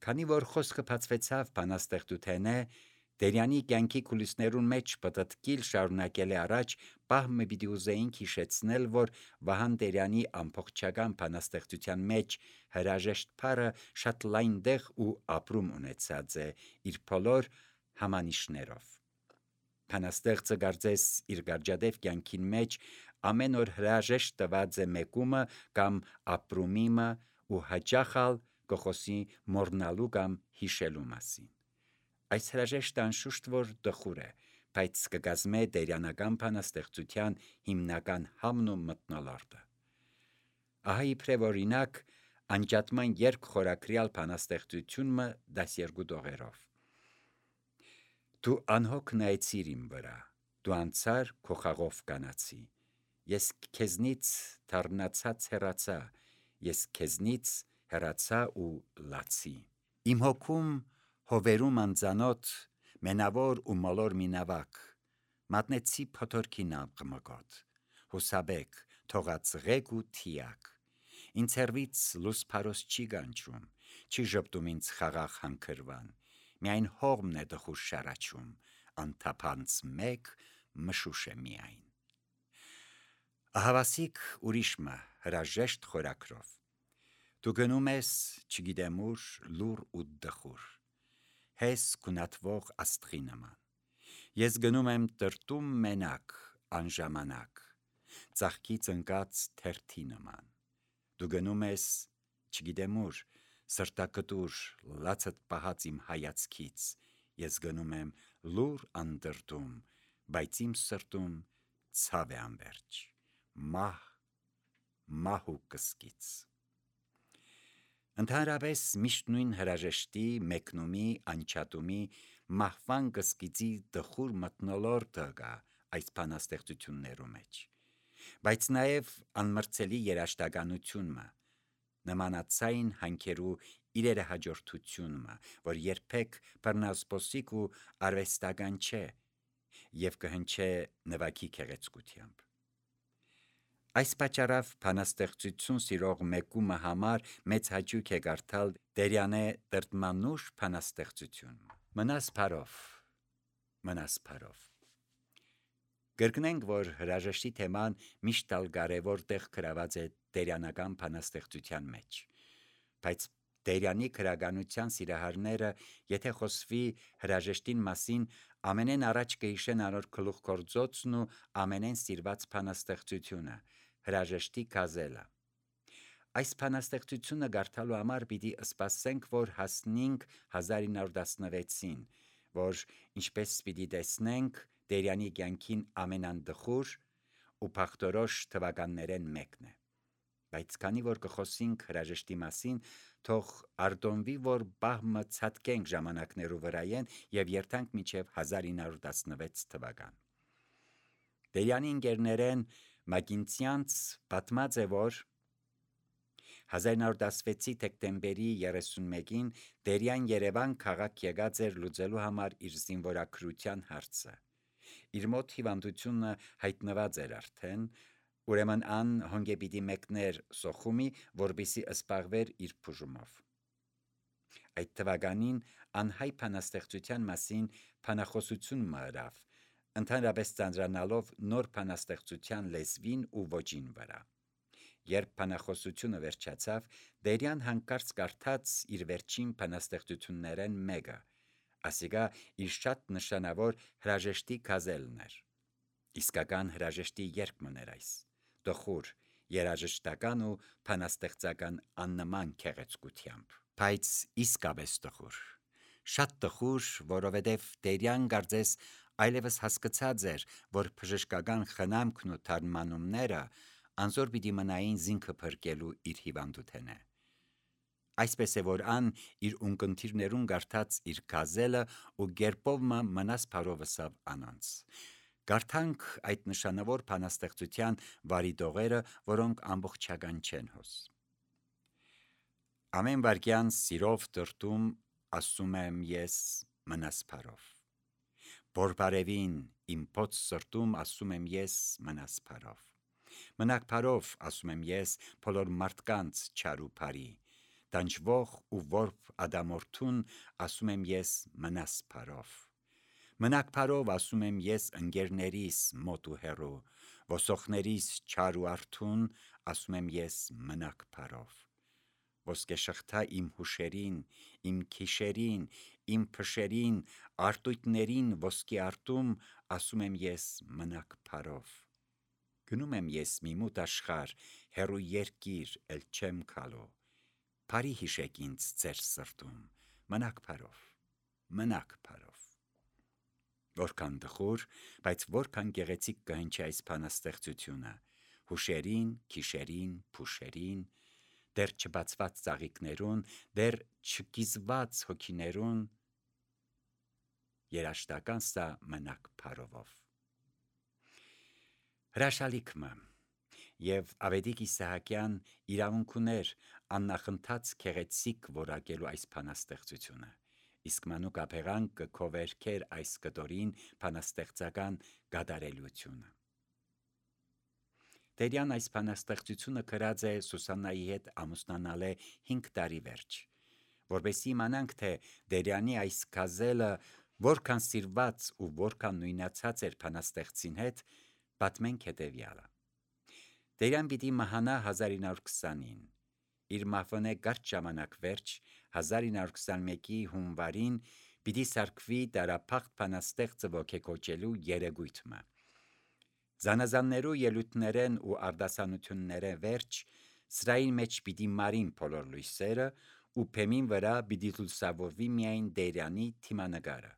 Քանի որ խոսքը բացվեցավ բանաստեղծութենէ, Տերյանի կյանքի կուլիսներուն մեջ պտտկիլ շարունակել է առաջ, պահմը պիտի ուզեինք հիշեցնել, որ Վահան Տերյանի ամբողջական բանաստեղծության մեջ հրաժեշտ փառը շատ լայն դեղ ու ապրում ունեցած է իր բոլոր համանիշներով։ Բանաստեղծը կարծես իր գարճադեվ կյանքին մեջ ամեն օր հրաժեշտ տված է մեկումը կամ ապրումիմը ու հաճախալ կխոսի մոռնալու կամ հիշելու մասին։ Այս հրաժեշտը անշուշտ որ տխուր է, բայց կկազմե տերյանական բանաստեղծության հիմնական համն ու մթնոլորտը։ Ահա իբրև օրինակ անջատման երգ խորագրյալ բանաստեղծությունը 12 տողերով։ Դու անհոգ նայեցիր իմ վրա, դու անցար քո խաղով կանացի, ես քեզնից դառնացած հեռացա, ես քեզնից հեռացա ու լացի։ Իմ հոգում հովերում անծանոթ, մենավոր ու մոլոր մի նավակ, մատնեցի փոթորքի նամղմկոտ, հուսաբեկ, թողածղեկ ու թիակ, ինձ հեռվից լույս փարոս չի գանչում, չի ժպտում ինձ խաղաղ հանքրվան, միայն հողմն է տխուր շարաչում, անթափանց մեկ մշուշ է միայն։ Ահավասիկ ուրիշմը հրաժեշտ խորագրով։ Դու գնում ես, չգիտեմ ուր, լուռ ու դխուր, հես քունատվող աստղի նման, ես գնում եմ տրտում մենակ, անժամանակ, ծաղկից ընկած թերթի նման, դու գնում ես, չգիտեմ ուր, սրտակտուր, լացդ պահած իմ հայացքից, ես գնում եմ լուռ անդրդում, բայց իմ սրտում ցավ է անվերջ, մահ ու կսկիծ։ Ընդհանրապես միշտ նույն հրաժեշտի, մեկնումի, անջատումի, մահվան կսկիծի տխուր մթնոլորտը կա այս բանաստեղծություններու մեջ, բայց նաև անմրցելի երաժշտականությունը, նմանացային հանքերու իրերը հաջորդությունը, որ երբեք բռնազբոսիկ ու արվեստական չէ և կհնչե նվագի գեղեցկությամբ։ Այս պատճառով բանաստեղծություն սիրող մեկումը համար մեծ հաճույք է կարդալ Տերյանե տրտմանուշ բանաստեղծությունը։ Մնաս փարով։ Կրկնենք, որ հրաժեշտի թեման միշտ ալ կարևոր տեղ գրաված է տերյանական բանաստեղծության մեջ, բայց Տերյանի գրականության սիրահարները, եթե խոսվի հրաժեշտին մասին, ամենեն առաջ կհիշեն անոր գլուխգործոցն ու ամենեն սիրված բանաստեղծությունը՝ հրաժեշտի գազելը։ Այս բանաստեղծությունը կարդալու համար պիտի սպասենք, որ հասնենք 1916-ին, որ ինչպես պիտի տեսնենք, Տերյանի կյանքին ամենանդխուր ու բախտորոշ թվականներեն մեկն է։ Բայց քանի որ կխոսենք հրաժեշտի մասին, թող արտոնվի, որ բահմը ցատկենք ժամանակներու վրայեն և երթանք մինչև 1916 թվական։ Տերյանի ընկերներեն Մակինցյանց պատմած է, որ 1916-ի դեկտեմբերի 31-ին Տերյան Երևան քաղաք եկած էր լուծելու համար իր զինվորագրության հարցը։ Իր մոտ հիվանդությունը հայտնված էր արդեն, ուրեմն ան հոնգե պիտի մեկներ Սոխումի, որպեսզի զբաղվեր իր բուժումով։ Այդ թվականին անհայ բանաստեղծության մասին բանախոսություն մըրավ, ընդհանրապես ծանրանալով նոր բանաստեղծության լեզվին ու ոճին վրա։ Երբ բանախոսությունը վերջացավ, Տերյան հանկարծ կարդաց իր վերջին բանաստեղծություններեն մեկը, ասիկա իր շատ նշանավոր հրաժեշտի գազելն էր։ Իսկական հրաժեշտի երգ մներ այս, տխուր, երաժշտական ու բանաստեղծական աննման գեղեցկությամբ, բայց իսկապես տխուր, շատ տխուր, որովհետև Տերյան կարծես այլևս հասկացած էր, որ բժշկական խնամքն ու թարմանումները անզոր պիտի մնային զինքը փրկելու իր հիվանդութենե։ Այսպես է, որ ան իր ունկնդիրներուն կարդաց իր գազելը ու գերպովմը մնաս փարովսավ անոնց։ Կարդանք այդ նշանավոր բանաստեղծության վարի տողերը, որոնք ամբողջական չեն հոս։ Ամեն վարկյան սիրով տրտում ասում եմ ես մնաս փարով։ Բորբարևին իմ փոց սրտում ասում եմ ես մնաս փարով։ Մնաք փարով ասում եմ ես բոլոր մարդկանց չար ու բարի, տանջվող ու որբ ադամորդուն ասում եմ ես մնաս փարով։ Մնաք փարով ասում եմ ես ընկերներիս մոտ ու հեռու, ոսոխներիս չար ու արթուն ասում եմ ես մնաք փարով։ Ոսկե շղթա իմ հուշերին, իմ քիշերին, իմ փշերին, արտույտներին ոսկի արտում ասում եմ ես մնաք փարով։ Գնում եմ ես մի մութ աշխարհ, հեռու երկիր, էլ չեմ քալու, փարի հիշեք ինձ ձեր սրտում, մնաք փարով, մնաք փարով։ Որքան տխուր, բայց որքան գեղեցիկ կհնչի այս բանաստեղծությունը, հուշերին, քիշերին, փուշերին, դեռ չբացված ծաղիկներուն, դեռ չկիզված հոգիներուն, երաշտական սա մնաք փարովով։ Հրաշալիքմը և Ավետիք Իսահակյան իրավունք ուներ աննախընթաց գեղեցիկ որակելու այս բանաստեղծությունը, իսկ Մանուկ Աբեղան կքովերքեր այս կտորին բանաստեղծական գադարելությունը։ Տերյան այս բանաստեղծությունը գրած է Սուսաննայի հետ ամուսնանալը 5 տարի վերջ, որպեսզի իմանանք, թե Տերյանի այս գազելը որքան սիրված ու որքան նույնացած էր բանաստեղծին հետ, պատմենք հետևյալը։ Տերյան պիտի մահանա 1920-ին, իր մահվնե կարճ ժամանակ վերջ 1921-ի հունվարին պիտի սարքվի դարափախտ բանաստեղծը ոգեկոչելու երեգույթը։ Զանազաններու ելույթներեն ու արտասանություններեն վերջ սրային մեջ պիտի մարին բոլոր լույսերը ու փեմին վրա պիտի լուսավորվի միայն Տերյանի թիմանկարը։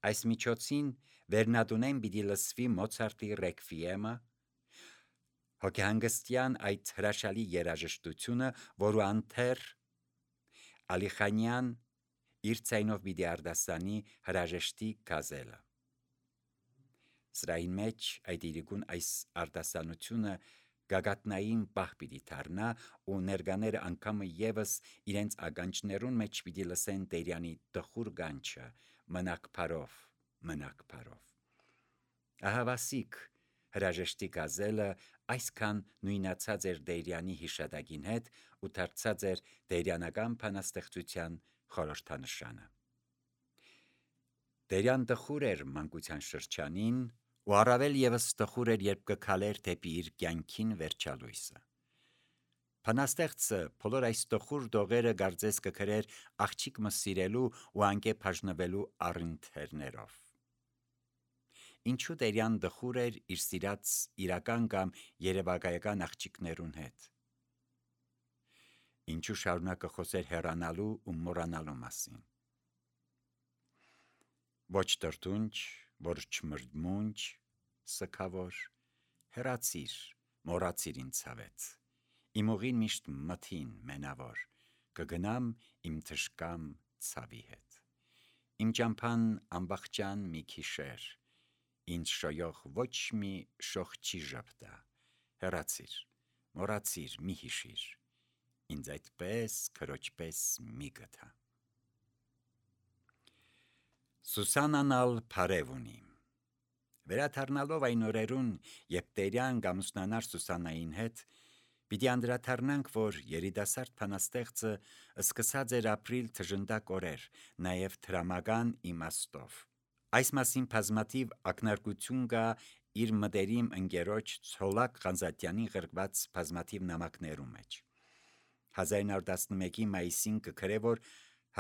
Այս միջոցին վերնատունեն պիտի լսվի Մոցարտի ռեկվիեմը, հոգեհանգստյան այդ հրաշալի երաժշտությունը, որու անթեռ Ալիխանյան իր ցայնով պիտի արտասանի հրաժեշտի գազելը։ Սրային մեջ այդ իրիկուն այս արտասանությունը գագաթնային պահ պիտի դառնա ու ներկաները անգամը եւս իրենց ականջներուն մեջ պիտի լսեն Տերյանի տխուր գանչը՝ մնաք փարով, մնաք փարով։ Ահավասիկ հրաժեշտի գազելը այսքան նույնացած էր Տերյանի հիշատակին հետ ու դարձած էր տերյանական բանաստեղծության խորհրդանշանը։ Տերյան տխուր էր մանկության շրջանին ու առավել եւս տխուր էր, երբ կքալեր դեպի իր կյանքին վերջալույսը։ Բանաստեղծը բոլոր այս տխուր դողերը կարծես կգրեր աղջիկ մը սիրելու ու անկե բաժնվելու առընթերներով։ Ինչու Տերյան տխուր էր իր սիրած իրական կամ երևակայական աղջիկներուն հետ։ Ինչու շարունակը խոսեր հեռանալու ու մոռանալու մասին։ Ոչ տրտունջ, ոչ չմրմունջ, սգավոր, հեռացիր, մոռացիր ինձ ցավեց, իմ ուղին միշտ մթին մենավոր, կգնամ իմ թշկամ ցավի հետ, իմ ճամփան ամբախճան մի քիշեր, ինձ շոյող ոչ մի շող չի ժպտա, հեռացիր, մոռացիր, մի հիշիր, ինձ այդպես քրոջպես մի գթա։ Սուսաննան ալ փարև ունի։ Վերադառնալով այն օրերուն, երբ Տերյան ամուսնանար Սուսաննային հետ, պիտի անդրադառնանք, որ երիտասարդ բանաստեղծը սկսած էր ապրիլ թժնդակ օրեր, նաև դրամական իմաստով։ Այս մասին բազմաթիվ ակնարկություն կա իր մտերիմ ընկերոջ Ցոլակ Ղանզատյանին գրված բազմաթիվ նամակներում մեջ։ 1911-ի մայիսին կգրե, որ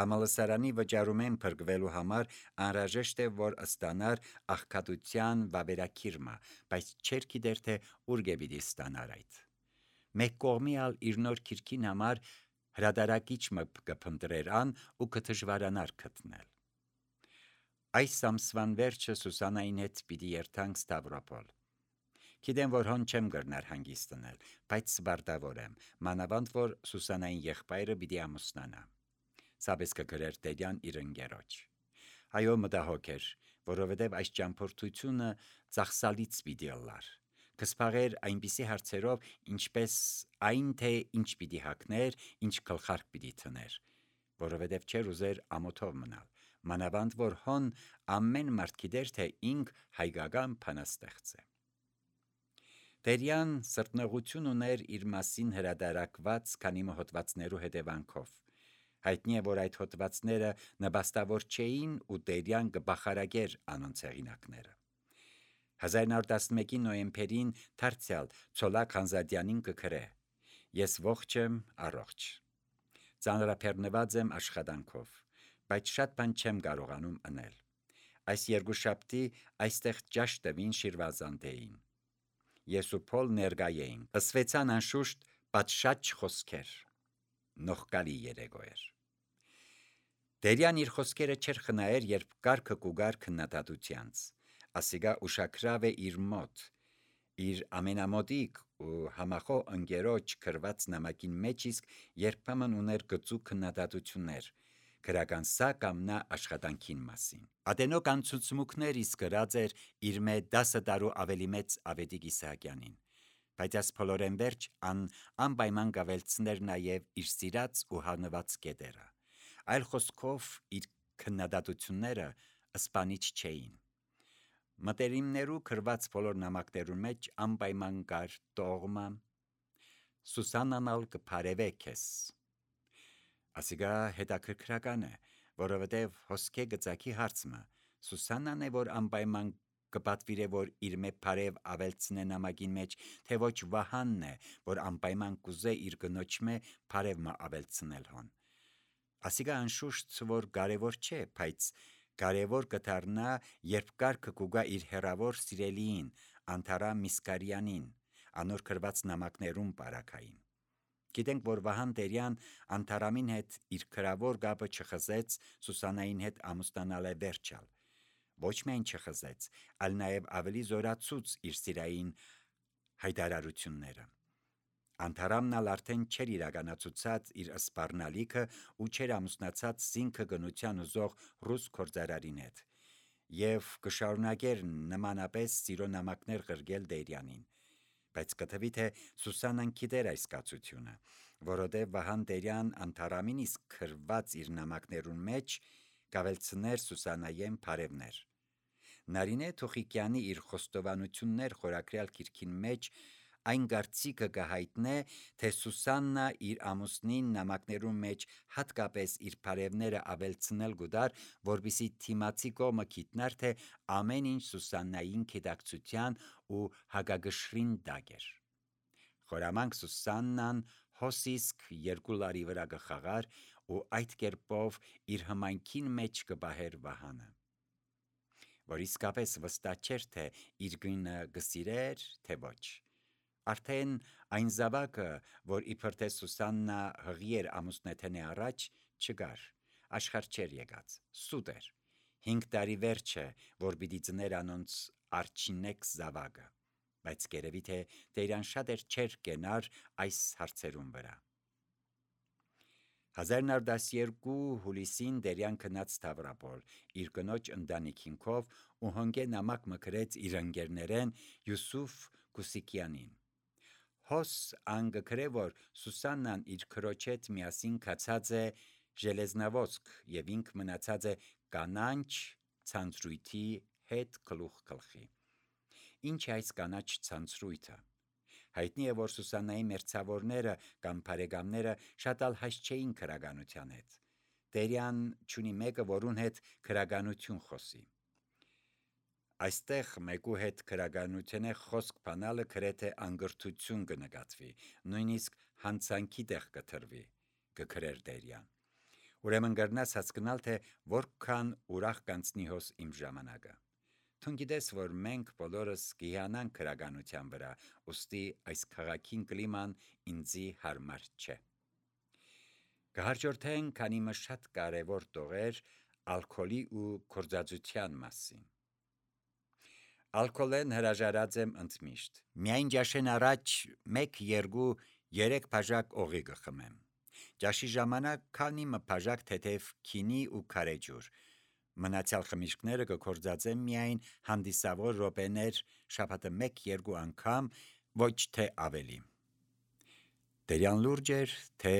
համալսարանի վճարումեն փրկվելու համար անհրաժեշտ է, որ ստանար աղքատության վավերագիրը, բայց չէր գիտեր, թե ուր պիտի ստանար այդ։ Մեկ կողմի ալ իր նոր գիրքին համար հրատարակիչ մը կփնտրեր ան ու կդժվարանար գտնել։ Այս ամսվան վերջը Սուսաննային հետ պիտի երթանք Ստավրոպոլ։ Գիտեմ, որ հոն չեմ գրնար հանգիստնել, բայց սպարտավոր եմ, մանավանդ որ Սուսաննային եղբայրը պիտի ամուսնանա։ Սաբես կգրեր Տերյան իր ընկերոջ։ Այո, մտահոգ էր, որովհետև այս ճամփորդությունը ծախսալից պիտի ըլլար։ Կսպաղեր այնպիսի հարցերով, ինչպես այն, թե ինչ պիտի հագներ, ինչ գլխարկ պիտի թներ, որովհետև չէր ուզեր ամոթով մնալ, մանավանդ որ հոն ամեն մարդ գիտեր, թե ինք հայկական բանաստեղծ է։ Տերյան սրտնողություն ուներ իր մասին հրադարակված քանի հոդվածներու հետևանքով։ Հայտնի է, որ այդ հոդվածները նպաստավոր չէին ու Տերյան կբախարագեր անոնց հեղինակները։ 1911-ի նոյեմբերին դարձյալ Ցոլակ Խանզադյանին կգրե. «Ես ողջ եմ, առողջ։ Ծանրաբեռնված եմ աշխատանքով, բայց շատ բան չեմ կարողանում անել։ Այս երկուշաբթի այստեղ ճաշ տվին Շիրվազանդեին։ Ես ու Փոլ ներկա էինք, ըսվեցան անշուշտ պատշաճ խոսքեր։ Նողկալի երեկո էր»։ Տերյան իր խոսքերը չէր խնայեր, երբ կարգը կուգար քննադատությանց։ Ասիգա ուշակրավ է իր մոտ, իր ամենամոտիկ ու համախոհ ընկերոջ գրված նամակին մեջ իսկ երբեմն ուներ գծու քննադատություններ, գրականսա կամ նա աշխատանքին մասին։ Ադենոկ անցուցմուկներ իսկ գրած էր իր մե 10 տարու ավելի մեծ Ավետիք Իսահակյանին, բայց այս փոլորեն վերջ անպայման կավելցներ նաև իր սիրած ու հանված կետերը։ Այլ խոսքով իր քննադատությունները սպանիչ չէին։ Մտերիմներու գրված բոլոր նամակներու մեջ անպայման կար տողմա Սուսաննան ալ կփարևե քեզ։ Ասիգա հետաքրքրական է, որովհետև հոսքե գծակի հարցմը Սուսաննան է, որ անպայման կպատվիրե, որ իր մե փարև ավելցնե նամակին մեջ, թե ոչ Վահանն է, որ անպայման կուզե իր գնոջ մե փարև մը ավելցնել հոն։ Ասիգա անշուշտ որ կարևոր չէ, բայց կարևոր կդառնա, երբ կարգը կուգա իր հերավոր սիրելիին, Անթարամ Միսկարյանին, անոր գրված նամակներուն բարակային։ Գիտենք, որ Վահան Տերյան Անթարամին հետ իր գրավոր գաբը չխզեց Սուսաննային հետ ամուսնանալ է վերջալ։ Ոչ միայն չխզեց, այլ նաև ավելի զորացուց իր սիրային հայտարարությունները։ Անթարամն ալ արդեն չէր իրականացուցած իր սպառնալիքը ու չէր ամուսնացած զինքը գնության ուզող ռուս գործարարին հետ, եւ կշարունակեր նմանապես սիրո նամակներ գրգել Տերյանին, բայց կթվի թե Սուսաննան գիտեր այս կացությունը, որովհետև Վահան Տերյան Անթարամին իսկ գրված իր նամակներուն մեջ կավելցներ Սուսաննայեն բարևներ։ Նարինե Թուխիկյանի իր խոստովանություններ խորագրյալ գիրքին մեջ այն կարծիքը կհայտնե, թե Սուսաննա իր ամուսնին նամակներուն մեջ հատկապես իր բարևները ավելցնել գուդար, որպեսզի թիմացի կողմը գիտնար, թե ամեն ինչ Սուսաննային գիտակցության ու հագագշրին տակ էր։ Խորամանկ Սուսաննան հոսիսկ 2 լարի վրա կխաղար ու այդ կերպով իր հմայքին մեջ կբահեր Վահանը, որ իսկապես վստահ չէր, թե իր գինը կսիրեր, թե ոչ։ Արդեն այն զավակը, որ իբր թե Սուսաննա հղի էր ամուսնեթենե առաջ, չկար, աշխարհ չէր եկած, սուտ էր, 5 տարի վերջ է, որ պիտի ծներ անոնց արջինեկ զավակը, բայց կերևի թե Տերյան շատ էր չէր կենար այս հարցերուն վրա։ 1912 հուլիսին Տերյան գնաց Սթավրոպոլ իր կնոջ ընտանիքինքով ու հոնգե նամակ մը գրեց իր ընկերներեն Յուսուֆ Կուսիկյանին։ Հոս անգրե, որ Սուսաննան իր քրոջ հետ միասին կացած է Ժելեզնավոսկ եւ ինք մնացած է կանանչ ցանցրույթի հետ գլուխ գլխի։ Ինչ է այս կանաչ ցանցրույթը։ Հայտնի է, որ Սուսաննայի մերձավորները կամ բարեկամները շատ ալ հայտ չէին քրագանության հետ։ Տերյան չունի մեկը, որուն հետ քրագանություն խոսի։ Այստեղ մեկու հետ քրագանությունը խոսք բանալը գրեթե անգրթություն կնկատվի, նույնիսկ հանցանքի տեղ կտրվի, կգրեր Տերյան։ Ուրեմն կրնաս հասկանալ, թե որքան ուրախ կանցնի հոս իմ ժամանակը։ Թուն գիտես, որ մենք բոլորս կհիանանք քրագանության վրա, ուստի այս քաղաքին կլիման ինձի հարմար չէ։ Կհաջորդեն քանի մը շատ կարևոր տողեր ալկոլի ու գործածության մասին։ Ալկոլեն հրաժարած եմ ընդմիշտ։ Միայն ջաշեն առաջ 1, 2, 3 բաժակ օղի կխմեմ։ Ջաշի ժամանակ քանի մը բաժակ թեթև քինի ու քարեջուր։ Մնացյալ խմիչքները կգործածեմ միայն հանդիսավոր րոպեներ շաբաթը 1-2 անգամ, ոչ թե ավելի։ Տերյան լուրջ էր, թե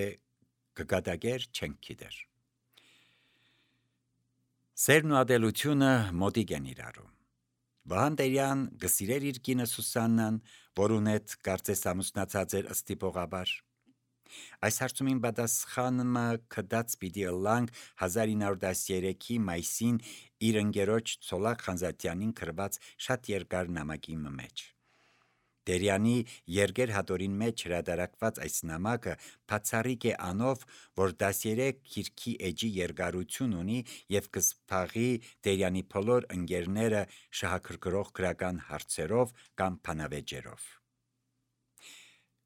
կկատակեր չենք գիտեր։ Սերն ու ադելությունը մոտիկ են իրարու։ Վահան Տերյան գսիրեր իր կինը Սուսաննան, որուն հետ կարծես ամուսնացած էր ըստիպողաբար։ Այս հարցումին պատասխանը կդած պիտի ըլլանք 1913-ի մայիսին իր ընկերոջ Ցոլակ Խանզատյանին գրված շատ երկար նամակի մեջ։ Տերյանի Երգեր հատորին մեջ հրատարակված այս նամակը բացառիկ է անով, որ 13 քիրքի էջի երկարություն ունի եւ կսփաղի Տերյանի բոլոր ընկերները շահագրգռող գրական հարցերով կամ բանավեճերով։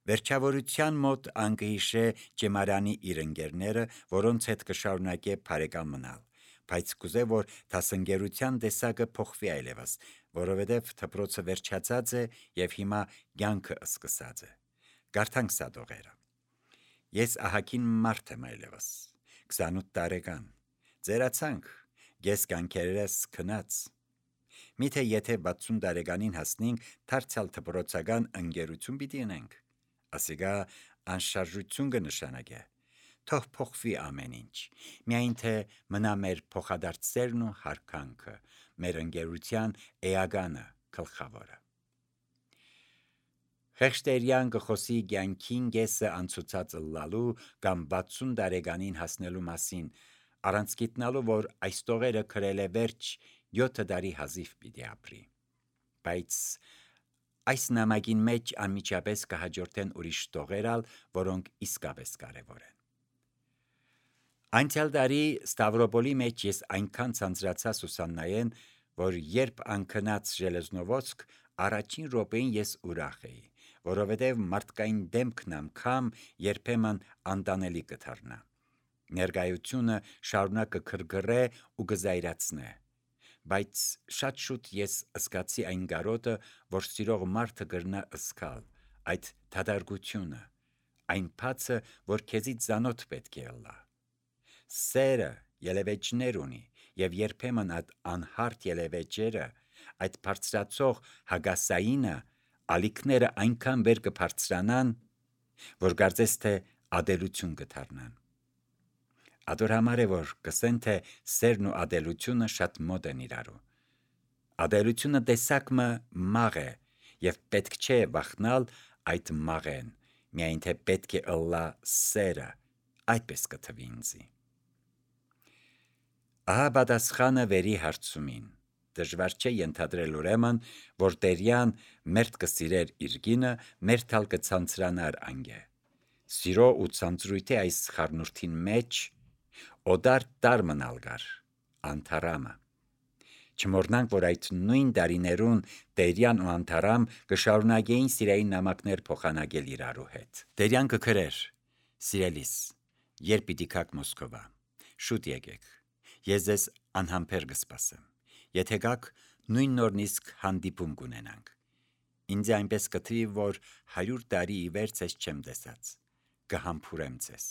Վերջավորության մոտ անկհիշե Ջեմարյանի իր ընկերները, որոնց հետ կշարունակե բարեկամ մնալ, բայց կուզե, որ դասընկերության տեսակը փոխվի այլևս, որովհետև դպրոցը վերջացած է եւ հիմա կյանքը սկսած է։ Գարթանք սադողերը։ Ես ահագին մարդ եմ այլևս, 28 տարեկան, ձերացանք, ես կյանքերս քնած։ Միթե եթե 60 տարեկանին հասնենք, դարձյալ դպրոցական ընկերություն պիտի ունենք, ասիկա անշարժություն կնշանակե, թող փոխվի ամեն ինչ, միայն թե մնա մեր փոխադարձերն ու հարկանքը, մեր ընկերության էականը, գլխավորը։ Խեղճ Տերյան կխոսի կյանքին կեսը անցուցած ըլլալու կամ 60 տարեկանին հասնելու մասին, առանց գիտնալու, որ այս տողերը գրել է վերջ 7 տարի հազիվ պիտի ապրի, բայց այս նամակին մեջ անմիջապես կհաջորդեն ուրիշ տողերալ, որոնք իսկապես կարևոր են։ Անցյալ տարի Ստավրոպոլի մեջ ես այնքան ցանցրացա Սուսաննայեն, որ երբ անքնած Ժելեզնովոցկ, առաջին րոպեին ես ուրախ էի, որովհետև մարդկային դեմքն անգամ երբեմն անտանելի կդառնա։ Ներկայությունը շարունակ կգրգռե ու կզայրացնե, բայց շատ շուտ ես զգացի այն գարոտը, որ սիրող մարդը կրնա զգալ, այդ դադարությունը, այն փացը, որ քեզից ծանոթ պետք է ըլլա։ Սերը ելևէջներ ունի, եւ երբեմն այդ անհարթ ելևէջերը, այդ բարձրացող հագասայինը, ալիքները այնքան վեր կբարձրանան, որ կարծես թե ադելություն կդառնան։ Ադոր համար է, որ կսեն, թե սերն ու ադելությունը շատ մոտ են իրարու։ Ադելությունը տեսակը մաղ է, եւ պետք չէ վախնալ այդ մաղեն, միայն թե պետք է ըլլա սերը, այդպես կթվի ինձի։ Ահա պատասխանը վերի հարցումին։ Դժվար չէ ենթադրել ուրեմն, որ Տերյան մերթ կսիրեր իր կինը, մերթալ կցանցրանար անգե։ Սիրո ու ցանցրույթի այս խառնուրդին մեջ օդար տար մնալ գար, անթարամը։ Չմոռնանք, որ այդ նույն տարիներուն Տերյան ու անթարամ կշարունակեին սիրային նամակներ փոխանակել իրարու հետ։ Տերյան կգրեր. Սիրելիս, երբ պիտի գաք Մոսկովա, շուտ եկեք, ես ձեզ անհամբեր կսպասեմ, եթե գաք նույն նորնիսկ հանդիպում կունենանք, ինձ այնպես կթվի, որ 100 տարի ի վեր ձեզ չեմ տեսած, կհամբուրեմ ձեզ։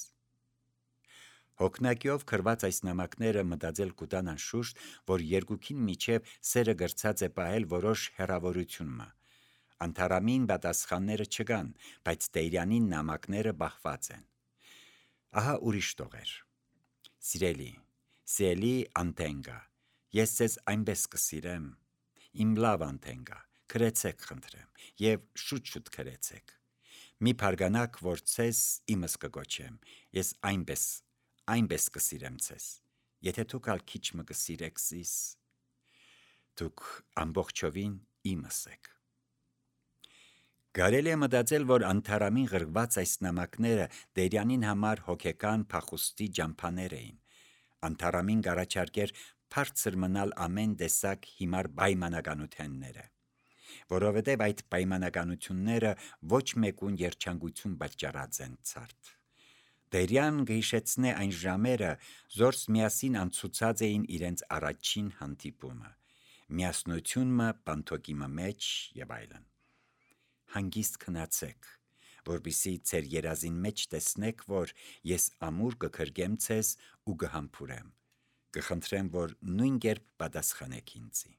Հոգնակիով գրված այս նամակները մտածել կուտան անշուշտ, որ երկուքին միջև սերը գրծած է պահել որոշ հեռավորությունը։ Անթարամին պատասխանները չկան, բայց Տերյանին նամակները բախված են։ Ահա ուրիշ տողեր։ Սիրելի, սիրելի Անտենգա, ես ձեզ այնպես կսիրեմ, իմ լավ Անտենգա, գրեցեք խնդրեմ, եւ շուտ գրեցեք։ Մի փարգանակ, որ ձեզ իմս կգոչեմ, ես այնպես կսիրեմ ձեզ, եթե դուք ալ քիչ մը կսիրեք զիս, դուք ամբողջովին իմս եք։ Կարելի է մտածել, որ անթարամին գրված այս նամակները Տերյանին համար հոգեկան փախուստի ջամփաներ էին։ Անթարամին կառաջարկեր բարձր մնալ ամեն տեսակ հիմար պայմանականությունները, որովհետև այդ պայմանականությունները ոչ մեկուն երջանկություն պատճառած են ցարտ։ Տերյան կհիշեցնե այն ժամերը, զորս միասին անցուցած էին իրենց առաջին հանդիպումը, միասնությունը բանթոկիմը մեջ եւ այլն։ Հանգիստ քնացեք, որպեսզի ձեր երազին մեջ տեսնեք, որ ես ամուր կգրգեմ ձեզ ու կհամբուրեմ, կխնդրեմ, որ նույն կերպ պատասխանեք ինձի։